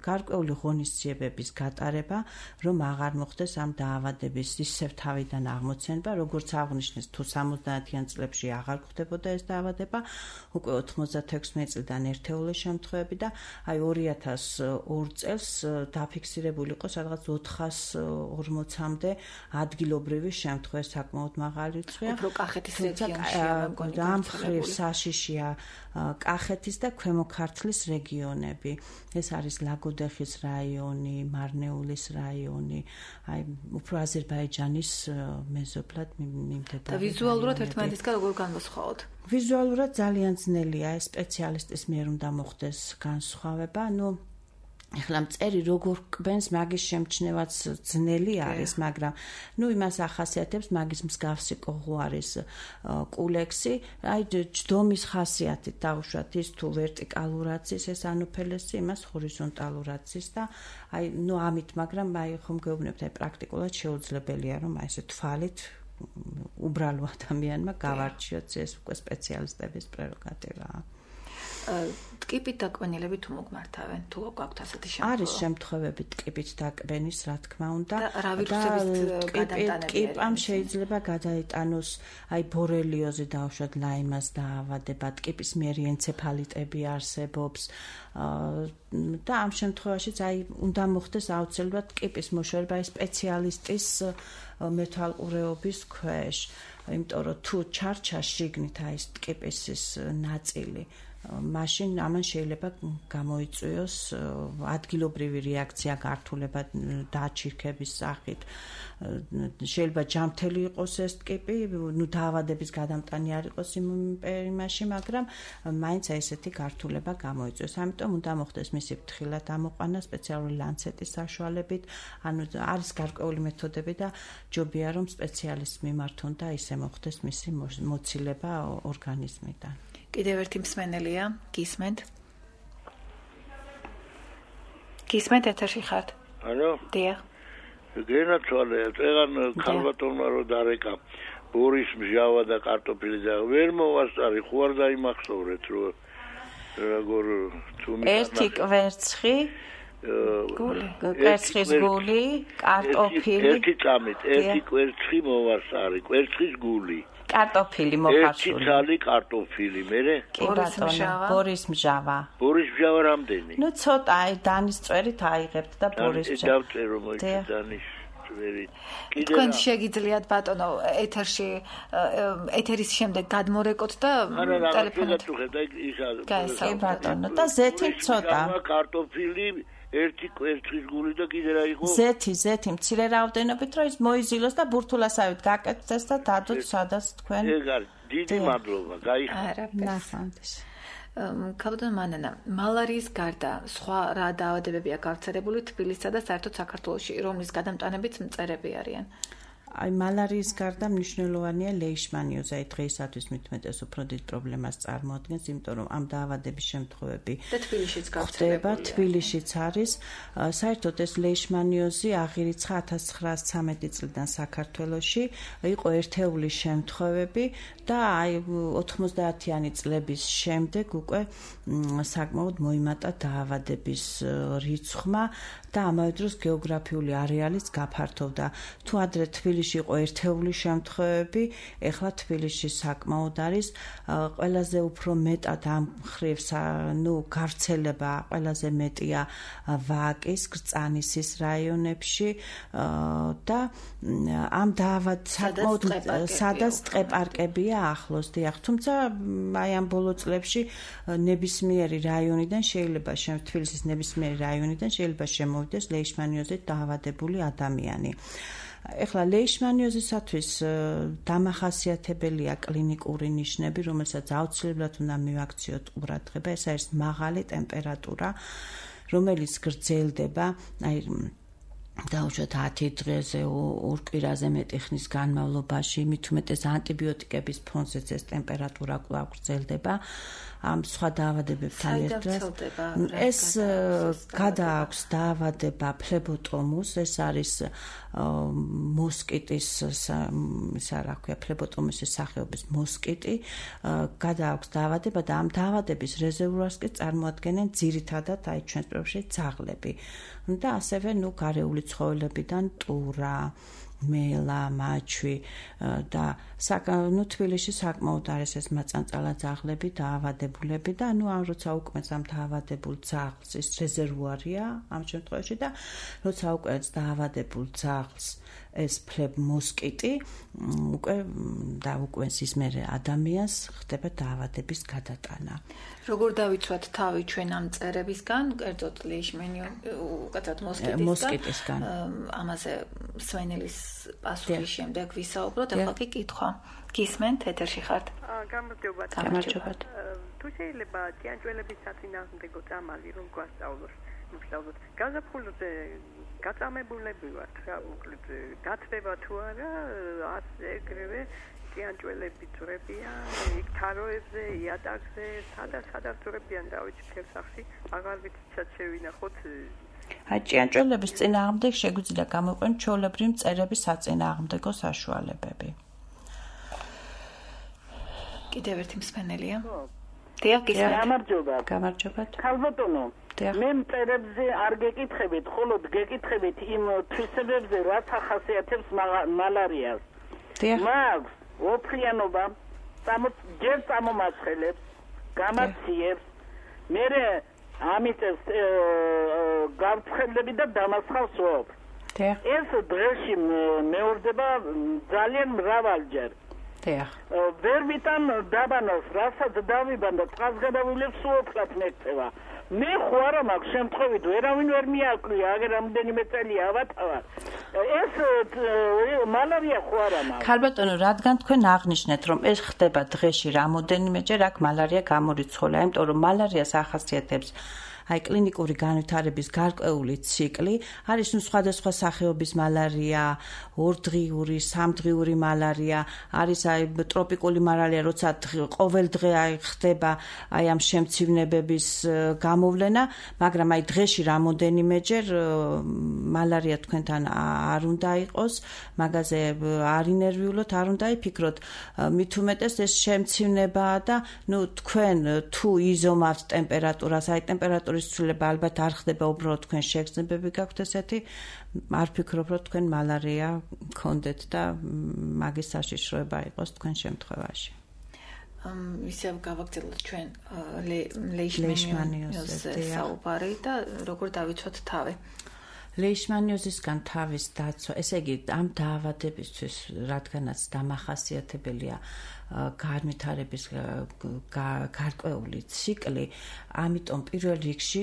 Speaker 3: გარკვეული ღონისძიებების გატარება, რომ აღარ მოხდეს ამ დაავადების ისევ თავიდან აღმოცენება, როგორც აღნიშნეს, თუ 70-იან წლებში აღარ ხდებოდა ეს დაავადება, უკვე 96 წლიდან ერთეული შემთხვევები და აი 2002 წელს დაფიქსირებული იყო სადღაც 440-მდე ადგილობრივი შემთხვევა, საკმაოდ მაღალი რიცხვია.
Speaker 2: უფრო კახეთის რეგიონში
Speaker 3: ამ მხრივ საშიშია კახეთის და ქვემო ქართლის რეგიონები. ეს არის ლაგოდეხის რაიონი, მარნეულის რაიონი, აი უფრო აზერბაიჯანის მეზობლად მიმდებარე.
Speaker 2: და ვიზუალურად ერთმანეთისგან როგორ განვასხვაოთ?
Speaker 3: ვიზუალურად ძალიან ძნელია, ეს სპეციალისტის მიერ უნდა მოხდეს განსხვავება. ეხლა მწერი როგორ კვენს მაგის შემჩნევაც ძნელი არის, მაგრამ იმას ახასიათებს მაგის მსგავსი კოღო არის კულექსი, აი ჯდომის ხასიათით დაუშვათ ის თუ ვერტიკალურად ის ეს ანოფელესი, იმას ჰორიზონტალურად ის და აი ამით, მაგრამ აი ხომ გეუბნებთ, აი პრაქტიკულად შეუძლებელია რომ აი ესე თვალით უბრალო ადამიანმა გავარჩიოთ, ეს უკვე სპეციალისტების პრეროგატივაა.
Speaker 2: ტკიპით დაკბენილები თუ მოგმართავენ, თუ გაქვთ ასეთი შემთხვევა?
Speaker 3: არის შემთხვევები ტკიპით დაკბენის, რა თქმა უნდა.
Speaker 2: და რა ვირუსების გადამტანები?
Speaker 3: ტკიპამ შეიძლება გადაიტანოს აი ბორელიოზი დაუშვათ, ლაიმას დაავადება, ტკიპის მიერი ენცეფალიტები არსებობს და ამ შემთხვევაშიც აი უნდა მოხდეს აუცილებლად ტკიპის მოშორება სპეციალისტის მეთვალყურეობის ქვეშ, იმიტომ რომ თუ ჩარჩა შიგნით აი ტკიპის ნაწილი მაშინ ამან შეიძლება გამოიწვიოს ადგილობრივი რეაქცია გართულება დაჩირქების სახით. შეიძლება ჯამთელი იყოს ეს ტიპი, დაავადების გადამტანი არ იყოს იმაში, მაგრამ მაინც ესეთი გართულება გამოიწვიოს. ამიტომ უნდა მოხდეს მისი ფრთხილად ამოყვანა სპეციალური ლანცეტის საშუალებით, ანუ არის გარკვეული მეთოდები და ჯობია რომ სპეციალისტს მიმართონ და ისე მოხდეს მისი მოცილება ორგანიზმიდან.
Speaker 2: კიდევ ერთი მსმენელია, გისმენთ? გისმენთ ეთერში ხართ?
Speaker 13: ალო?
Speaker 2: დიახ.
Speaker 13: გენაცვალე, წეგან ქალბატონმა რო დარეკა ბორის მჟავა და კარტოფილი და ვერ მოვასწარი, ხო არ დაიმახსოვრეთ რომ როგორ თუმი
Speaker 3: ერთი კვერცხი კვერცხის გული, კარტოფილი.
Speaker 13: ერთი წამით, ერთი კვერცხი მოვასწარი, კვერცხის გული.
Speaker 3: კარტოფილი მოხარშული.
Speaker 13: ერთი ცალი კარტოფილი, მერე?
Speaker 3: კი ბატონო, ბორის მჟავა.
Speaker 13: ბორის მჟავა რამდენი?
Speaker 3: ნუ ცოტა, დანის წვერით აიღებთ და ბორის მჟავა.
Speaker 13: დავწერო მოიცა დანის წვერით.
Speaker 2: თქვენ შეგიძლიათ ბატონო ეთერში ეთერის შემდეგ გადმორეკოთ და
Speaker 13: ტელეფონით.
Speaker 3: კი ბატონო, და ზეთი ცოტა.
Speaker 13: კარტოფილი ერთი კვერცხის გული და კიდე რა იყო?
Speaker 3: ზეთი, მცირე რაოდენობით რომ ის მოიზილოს და ბურთულასავით გაკეთდეს და დადოთ სადაც თქვენ.
Speaker 13: ეგ არის, დიდი მადლობა, გაიხარა.
Speaker 3: ნახავთ.
Speaker 2: ქალბატონო მანანა, მალარიის გარდა სხვა რა დაავადებებია გავრცელებული თბილისსა და საერთოდ საქართველოში, რომლის გადამტანებიც მწერები არიან?
Speaker 3: აი მალარიის გარდა მნიშვნელოვანია ლეიშმანიოზა, დღეისათვის მithumetes უფრო დიდ პრობლემას წარმოადგენს, იმიტომ რომ ამ დაავადების შემთხვევები
Speaker 2: და თბილისშიც გავრცელებულია.
Speaker 3: თბილისშიც არის. საერთოდ ეს ლეიშმანიოზი აღირიცხა 1913 წლიდან საქართველოში, იყო ერთეული შემთხვევები და აი 90-იანი წლების შემდეგ უკვე საკმაოდ მოიმატა დაავადების რიცხვმა და ამავე დროს გეოგრაფიული არეალიც გაფართოვდა. თუ ადრე თბილისში იყო ერთეული შემთხვევები, ეხლა თბილისში საკმაოდ არის, ყველაზე უფრო მეტად ამ მხრივ გავრცელება ყველაზე მეტია ვაკის, გრწანისის რაიონებში და ამ საკმაოდ სადაც ტყეპარკებია ახლოს, დიახ, თუმცა აი ამ ბოლო წლებში ნებისმიერი რაიონიდან შეიძლება თბილისის ნებისმიერი რაიონიდან შეიძლება შემოვიდეს ლეიშმანიოზით დაავადებული ადამიანი. ეხლა ლეიშმანიოზისათვის დამახასიათებელია კლინიკური ნიშნები, რომელსაც აუცილებლად უნდა მივაქციოთ ყურადღება, ეს არის მაღალი ტემპერატურა, რომელიც გრძელდება, აი დაუშვათ 10 დღეზე, 2 კვირაზე მეტი ხნის განმავლობაში, მithumetes ანტიბიოტიკების ფონზეც ეს ტემპერატურა კვლავ გრძელდება. ამ სხვა დაავადებებთან ერთად ეს გადააქვს დაავადება ფლებოტომუს, ეს არის მოსკიტის ფლებოტომუსის სახეობის მოსკიტი, გადააქვს დაავადება და ამ დაავადების რეზერვუარს კი წარმოადგენენ ძირითადად აი ჩვენს პრობლემებში ძაღლები და ასევე გარეული ცხოველებიდან ტურა, მელა, მაჩვი და თბილისში საკმაოდ არის ეს მაწანწალა ძაღლები, დაავადებულები და როცა უკმეს ამ დაავადებულ ძაღლს ის რეზერვუარია ამ შემთხვევაში და როცა უკმეს დაავადებულ ძაღლს ეს მოსკიტი უკმეს ის მე ადამიანს ხდება დაავადების გადატანა.
Speaker 2: როგორ დავიცვათ თავი ჩვენ ამ მწერებისგან, კერძოდ მოსკიტისგან? ამაზე სვენელის პასუხის შემდეგ ვისაუბროთ, ახლა კი კითხვა. გისმენთ, ეთერში ხართ?
Speaker 6: გამარჯობათ. თუ შეიძლება ჭიანჭველების საწინააღმდეგო წამალი რომ გვასწავლოს, გაზაფხულზე გაწამებულები ვართ, რა უკლედ დათბება თუ არა, ასე ეგრევე ჭიანჭველები ძვრებიან, იქ თაროებზე, იატაკზე, სადაც ძვრებიან, რა ვიცი, ფერსახში, აღარ ვიცით შევინახოთ.
Speaker 3: აი ჭიანჭველების წინააღმდეგ შეგვიძლია გამოყვენ ჩვეულებრივი მწერების საწინააღმდეგო საშუალებები.
Speaker 2: კიდევ ერთი მსმენელია. დიახ,
Speaker 3: გამარჯობათ.
Speaker 14: ქალბატონო, მე მწერებზე არ გეკითხებით, მხოლოდ გეკითხებით იმ თვისებებზე, რაც ახასიათებს მალარიას. მაქვს ოფლიანობა, ჯერ წამომაცხელებს, გამაციებს, მერე ამიწევს გავრცელები და დამასხავს ოფლს. ეს დღეში მეორდება ძალიან მრავალჯერ. ვერ ვიტან დაბანოს, რასაც დავიბანდა, წყალგადავლილებს უოთლად მექცევა. მე ხო არა მაქვს შემთხვევით ვერავინ ვერ მიაკვია, აგერ რამდენიმე წელია ავატავარ. ეს მალარია ხო არა მაქვს.
Speaker 3: ქალბატონო, რადგან თქვენ აღნიშნეთ, რომ ეს ხდება დღეში რამოდენიმეჯერ, აქ მალარია გამორიცხულია, იმიტომ რომ მალარიას ახასიათებს აი კლინიკური განვითარების გარკვეული ციკლი, არის სხვადასხვა სახეობის მალარია, ორდღიური, სამდღიური მალარია, არის აი ტროპიკული მალარია, როცა ყოველ დღე აი ხდება აი ამ შემცირებების გამოვლენა, მაგრამ აი დღეში რამოდენიმეჯერ მალარია თქვენთან არ უნდა იყოს, მაგაზე არ ინერვიულოთ, არ უნდა იფიქროთ, მით უმეტეს ეს შემცირებაა და თქვენ თუ იზომავთ ტემპერატურას, აი ტემპერატურის ცვლილება ალბათ არ ხდება, უბრალოდ თქვენ შეგრძნებები გაქვთ ესეთი, არ ფიქრობ, რომ თქვენ მალარია გქონდეთ და მაგის საშიშროება იყოს თქვენ შემთხვევაში.
Speaker 2: ისევ გავაგრძელოთ ჩვენ ლეიშმანიოზზე საუბარი და როგორ დავიცვათ თავი.
Speaker 3: ლეიშმანიოზისგან თავის დაცვა, ესე იგი, ამ დაავადებისთვის, რადგანაც დამახასიათებელია განვითარების გარკვეული ციკლი, ამიტომ პირველ რიგში,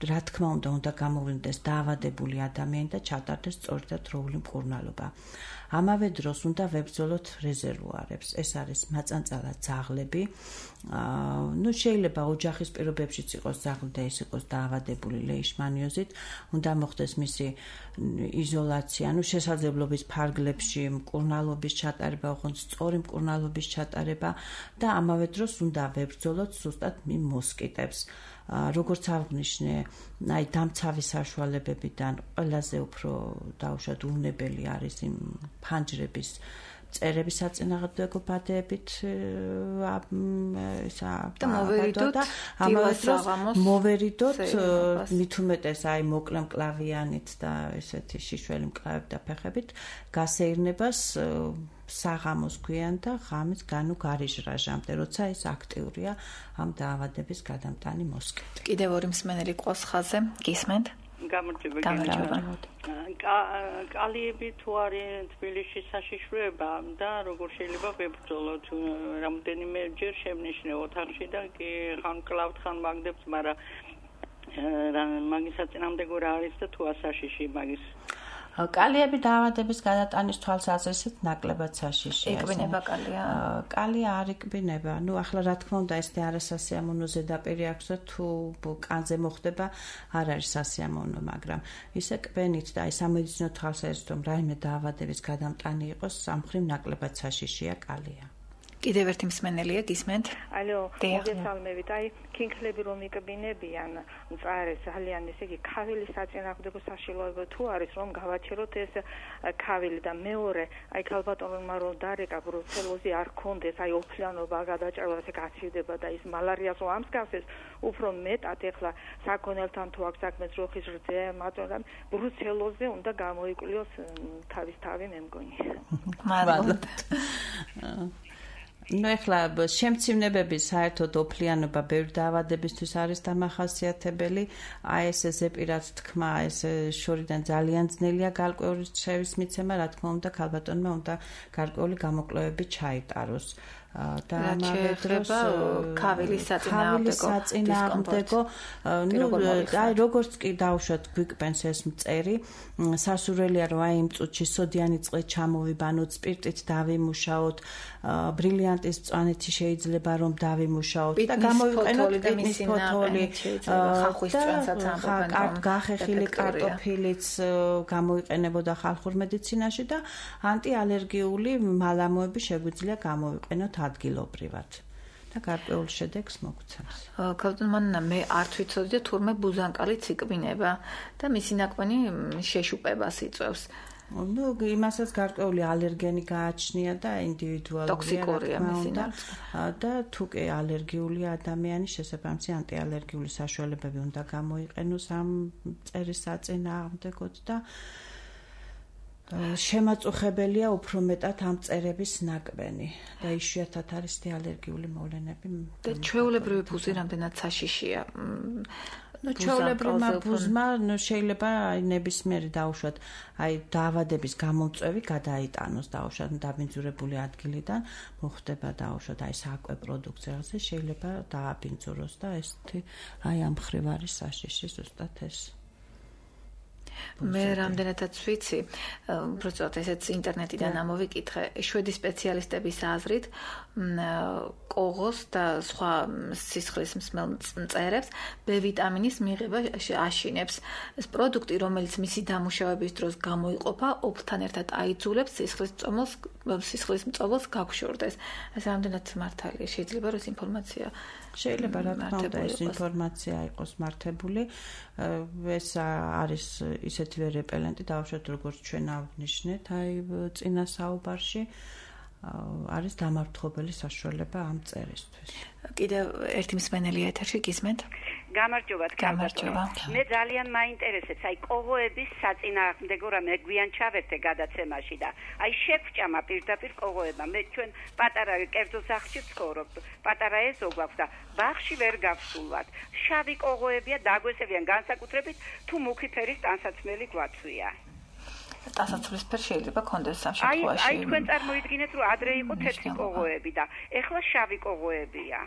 Speaker 3: რა თქმა უნდა გამოვლინდეს დაავადებული ადამიანი და ჩატარდეს სწორი და დროული მკურნალობა. ამავე დროს უნდა ვებრძოლოთ რეზერვუარებს. ეს არის მაწანწალა ძაღლები. შეიძლება ოჯახის პირობებშიც იყოს ძაღლი და ის იყოს დაავადებული ლეიშმანიოზით, უნდა მოხდეს მისი იზოლაცია, შესაძლებლობის ფარგლებში მკურნალობის ჩატარება, ოღონდ სწორი მკურნალობის ჩატარება და ამავე დროს უნდა ვებრძოლოთ ზუსტად მოსკიტებს. როგორც აღნიშნე, აი დამცავი საშუალებებიდან ყველაზე უფრო დაუშვათ უნებელი არის იმ ფანჯრების წერების საწინააღმდეგო ბადეებით
Speaker 2: და მოვერიდოთ
Speaker 3: მოვერიდოთ მით უმეტეს აი მოკლე მკლავიანით და ესეთი შიშველი მკლავებით და ფეხებით გასეირნებას საღამოს გვიან და ღამის განუ გარიჟრაჟამდე, როცა ის აქტიურია ამ დაავადების გადამტანი მოსკიტი.
Speaker 2: კიდევ ორი მსმენელი ყავს ხაზზე, გისმენთ?
Speaker 6: გამარჯობა. კალიები თუ არის თბილისში საშიშროება და როგორ შეიძლება ვებრძოლოთ, რამდენიმეჯერ შევნიშნე ოთახში და კი ხან კლავთ, ხან მაგდებთ, მაგრამ მაგის საწინააღმდეგო რა არის და თუ ასაშიში მაგის
Speaker 3: კალიები დაავადების გადატანის თვალსაზრისით ნაკლებად საშიშია.
Speaker 2: იკბინება კალია?
Speaker 3: კალია არ იკბინება. ახლა რა თქმა უნდა ეს არასასიამოვნო ზედაპირი აქვს და თუ კანზე მოხდება არ არის სასიამოვნო, მაგრამ ისე კბენით და აი სამედიცინო თვალსაზრისით რომ რაიმე დაავადების გადამტანი იყოს, სამხრივ ნაკლებად საშიშია კალია.
Speaker 2: კიდევ ერთი მსმენელია, გისმენთ?
Speaker 15: ალო, მოგესალმებით. აი, ქინქლები რომ იკბინებიან, მწარე ძალიან ესე იგი ქავილის საწინააღმდეგო საშიშროება თუ არის, რომ გავაჩეროთ ეს ქავილი და მეორე, აი ქალბატონმა რომ დარეკა ბრუცელოზი არ ქონდეს, აი ოფლიანობა გადაჭრება, ესე გაცივდება და ის მალარიას რომ ამსგავსეს, უფრო მეტად ეხლა საქონელთან თუ აქვს საქმე ძროხის რძე, მაგრამ ბრუცელოზე უნდა გამოიკვლიოს თავის თავი მე მგონი.
Speaker 2: მადლობთ.
Speaker 3: ეხლა შემცირებების საერთოდ ოფლიანობა ბევრი დაავადებისთვის არის დამახასიათებელი. აი ეს ზეპირად თქმა, ეს შორიდან ძალიან ძნელია გარკვეული შევის მიცემა, რა თქმა უნდა, ქალბატონმა უნდა გარკვეული გამოკვლევები ჩაიტაროს. და ამავე დროს
Speaker 2: ქავილის საწინააღმდეგო
Speaker 3: აი როგორც კი დავუშვათ გვიკბენს ეს მწერი, სასურველია რომ აი იმ წუთში სოდიანი წყლით ჩამოვიბანოთ, სპირტით დავიმუშაოთ, ბრილიანტის მწვანეთი შეიძლება რომ დავიმუშაოთ და გამოვიყენოთ ტკინის ფოთოლი,
Speaker 2: ხახვის წვენსაც ამბობენ,
Speaker 3: გახეხილი კარტოფილიც გამოიყენებოდა ხალხურ მედიცინაში და ანტიალერგიული მალამოები შეგვიძლია გამოვიყენოთ ადგილობრივად და გარკვეულ შედეგს მოგცემს.
Speaker 2: ქალბატონმა მე არ ვიცოდი და თურმე ბუზანკალიც იკბინება და მისი ნაკვენი შეშუპებას იწვევს.
Speaker 3: იმასაც გარკვეული ალერგენი გააჩნია და ინდივიდუალურია,
Speaker 2: ტოქსიკურია მისი
Speaker 3: და თუ კი ალერგიული ადამიანი შესაბამისი ანტიალერგიული საშუალებები უნდა გამოიყენოს ამ მწერის საწინააღმდეგოდ და შემაწუხებელია უფრო მეტად ამ მწერების ნაკბენი და იშვიათად არის ალერგიული მოვლენები.
Speaker 2: და ჩვეულებრივი ბუზი რამდენად საშიშია?
Speaker 3: ჩვეულებრივმა ბუზმა შეიძლება ნებისმიერი დაუშვათ, დაავადების გამომწვევი გადაიტანოს დაუშვათ დაბინძურებული ადგილიდან, მოხდება დაუშვათ საკვე პროდუქციაზე შეიძლება დააბინძუროს და ესეთი ამ მხრივ არის საშიში ზუსტად ეს.
Speaker 2: მე რამდენადაც ვიცი, უბრალოდ ესეც ინტერნეტიდან ამოვიკითხე, შვედი სპეციალისტების აზრით, კოღოს და სხვა სისხლის მსმელ მწერებს B ვიტამინის მიღება აშინებს. ეს პროდუქტი, რომელიც მისი დამუშავების დროს გამოიყოფა, ოფლთან ერთად აიძულებს სისხლის მწოველს გაგშორდეს. ეს რამდენად მართალია, შეიძლება რომ ეს ინფორმაცია
Speaker 3: შეიძლება რა თქმა უნდა ეს ინფორმაცია იყოს მართებული. ეს არის ისეთივე რეპელენტი, დავუშვათ როგორც ჩვენ აღნიშნეთ, წინა საუბარში არის დამარცხებელი საშუალება ამ წერისთვის.
Speaker 2: კიდევ ერთი მსმენელი ეთერში გისმენთ?
Speaker 16: გამარჯობა. მე ძალიან მაინტერესებს კოღოების საწინააღმდეგო რამე გვიან ჩავერთე გადაცემაში და შეგვჭამა პირდაპირ კოღოებმა. მე ჩვენ პატარა კერძო სახლში ვცხოვრობ, პატარა ეზო გვაქვს და ბაღში ვერ გავსულვათ. შავი კოღოებია, დაგვესებიან განსაკუთრებით თუ მუქი ფერის ტანსაცმელი გვაცვია.
Speaker 2: ტანსაცმლის შეიძლება კონდეს ამ შემთხვევაში.
Speaker 16: აი თქვენ წარმოიდგინეთ რომ ადრე იყო თეთრი კოღოები და ეხლა შავი კოღოებია.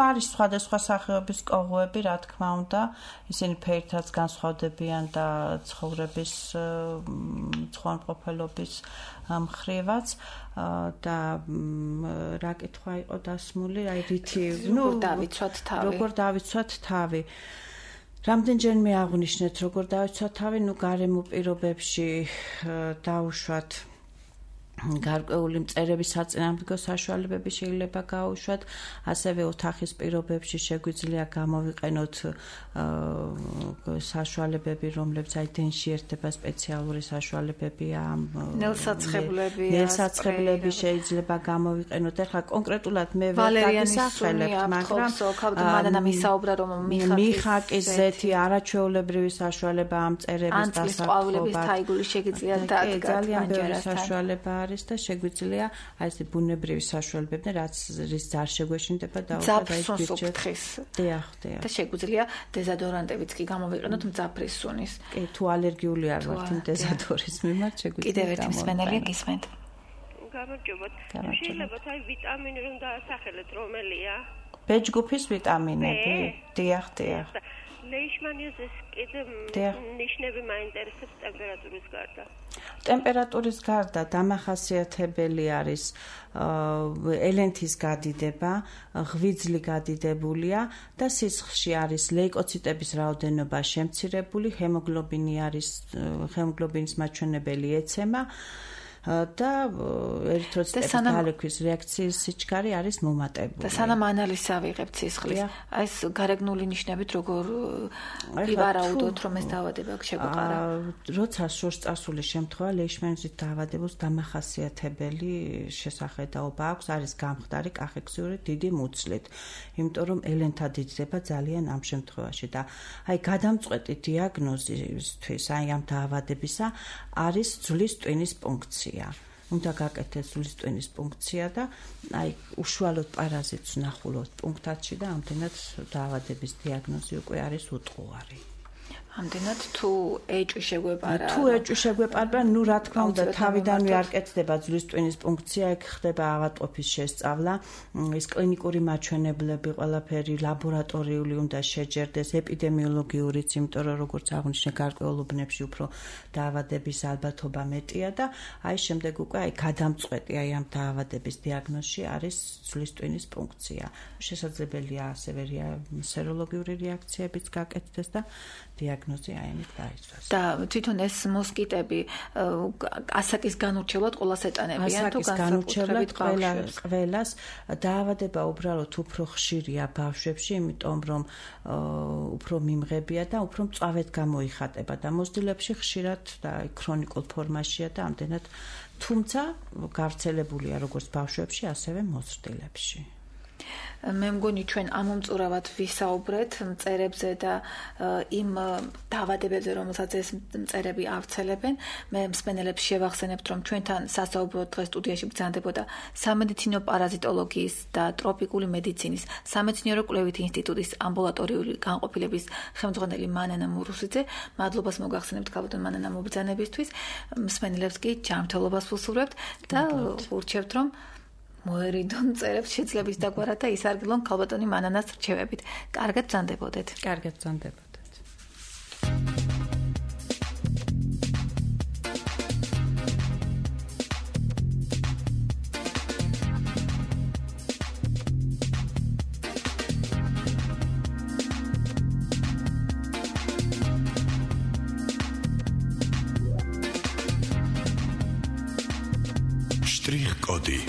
Speaker 3: არის სხვადასხვა სახეობის კოღოები, რა თქმა უნდა, ისინი ფერითაც განსხვავდებიან და ცხოვრების ცხონყოფილობის მხრივაც და რა კითხვა იყო დასმული, რითი, როგორ დავიცვათ თავი. რამდენჯერმე აღნიშნეთ, როგორ დავიცვათ თავი, გარემო პირობებში დაუშვათ გარკვეული მწერების საწინააღმდეგო საშუალებები შეიძლება გაუშვათ, ასევე ოთახის პირობებში შეგვიძლია გამოვიყენოთ საშუალებები, რომლებიც დენში ერთება სპეციალური საშუალებებია, ნელსაცხებლები შეიძლება გამოვიყენოთ. ეხლა კონკრეტულად მე ვერ დაგისახელებ, მაგრამ
Speaker 2: მანანა მისაუბრა რომ
Speaker 3: მიხაკის ზეთი არაჩვეულებრივი საშუალება ამ მწერების
Speaker 2: დასაკმაყოფილებლად თაიგული შეგიძლია დადგათ
Speaker 3: ძალიან ბევრი საშუალება და შეგვიძლია ეს ბუნებრივი საშუალებები, რაც რის არ შეგვეშინდება და
Speaker 2: და შეგვიძლია დეზოდორანტებიც კი გამოვიყენოთ მძაფრის სუნის.
Speaker 3: კი, თუ ალერგიული არ ვართ იმ დეზოდორის მიმართ, შეგვიძლია.
Speaker 2: კიდევ ერთი მსმენელია გისმენთ.
Speaker 17: გამარჯობათ. შეიძლება ვიტამინი რომ დაასახელეთ, რომელია?
Speaker 3: B ჯგუფის ვიტამინები. დიახ.
Speaker 17: ლეიშმანიოზის კიდე ნიშნები მაინტერესებს ტემპერატურის გარდა.
Speaker 3: ტემპერატურის გარდა დამახასიათებელი არის ელენთის გადიდება, ღვიძლი გადიდებულია და სისხლში არის ლეიკოციტების რაოდენობა შემცირებული, ჰემოგლობინის მაჩვენებელი ეცემა და ერითროციტების დალექვის რეაქციის სიჩქარე არის მომატებული.
Speaker 2: და სანამ ანალიზს ავიღებთ სისხლის, ეს გარეგნული ნიშნებით როგორ ვივარაუდოთ, რომ ეს დაავადება შეგვეყარა?
Speaker 3: როცა შორს წასული შემთხვევა ლეიშმანიოზის დაავადებას დამახასიათებელი შესახედაობა აქვს, არის გამხდარი კახექსიური დიდი მუცლით, იმიტომ რომ ელენთა დიდდება ძალიან ამ შემთხვევაში და გადამწყვეტი დიაგნოზისთვის ამ დაავადებისა არის ძვლის ტვინის პუნქცია. უნდა გაკეთდეს ძვლის ტვინის პუნქცია და უშუალოდ პარაზიტს ვნახულობთ პუნქტში და ამდენად დაავადების დიაგნოზი უკვე არის უტყუარი.
Speaker 2: ამდენად თუ ეჭვი შეგვეპარა.
Speaker 3: თუ ეჭვი შეგვეპარა, რა თქმა უნდა, თავიდანვე არ კეთდება ძვლის ტვინის პუნქცია, ეგ ხდება ავადმყოფის შესწავლა, ის კლინიკური მაჩვენებლები, ყველაფერი ლაბორატორიული უნდა შეჯერდეს, ეპიდემიოლოგიურიც, იმიტომ რომ როგორც აღნიშნე, გარკვეულ უბნებში უფრო დაავადების ალბათობა მეტია და შემდეგ უკვე გადამწყვეტი ამ დაავადების დიაგნოზში არის ძვლის ტვინის პუნქცია. შესაძლებელია ასევე სეროლოგიური რეაქციებიც გაკეთდეს და დიაგნოზი აიმით დაიცვას.
Speaker 2: და თვითონ ეს მოსკიტები ასაკის განურჩევლად ყველას ეტანებიან თუ
Speaker 3: განურჩევლად ყველას დაავადება უბრალოდ უფრო ხშირია ბავშვებში, იმიტომ რომ უფრო მიმღებია და უფრო მწვავედ გამოიხატება და მოზრდილებში ხშირად და ქრონიკულ ფორმაშია და ამდენად, თუმცა გავრცელებულია როგორც ბავშვებში, ასევე მოზრდილებში.
Speaker 2: მე მგონი ჩვენ ამომწურავად ვისაუბრეთ მწერებზე და იმ დაავადებებზე, რომელსაც ეს მწერები ავრცელებენ. მე მსმენელებს შევახსენებთ, რომ ჩვენთან სასაუბრო დღეს სტუდიაში ბრძანდებოდა სამედიცინო პარაზიტოლოგიის და ტროპიკული მედიცინის სამეცნიერო კვლევითი ინსტიტუტის ამბულატორიული განყოფილების ხელმძღვანელი მანანა მურუსიძე. მადლობას მოგახსენებთ ქალბატონ მანანა მობრძანებისთვის. მსმენელებს კი ჯანმრთელობას ვუსურვებთ და ურჩევთ, რომ მოერიდონ წერებს შეძლების დაგვარად და ისარგებლონ ქალბატონი მანანას რჩევებით. კარგად ბრძანდებოდეთ.
Speaker 3: კარგად ბრძანდებოდეთ.
Speaker 18: Strich-Codi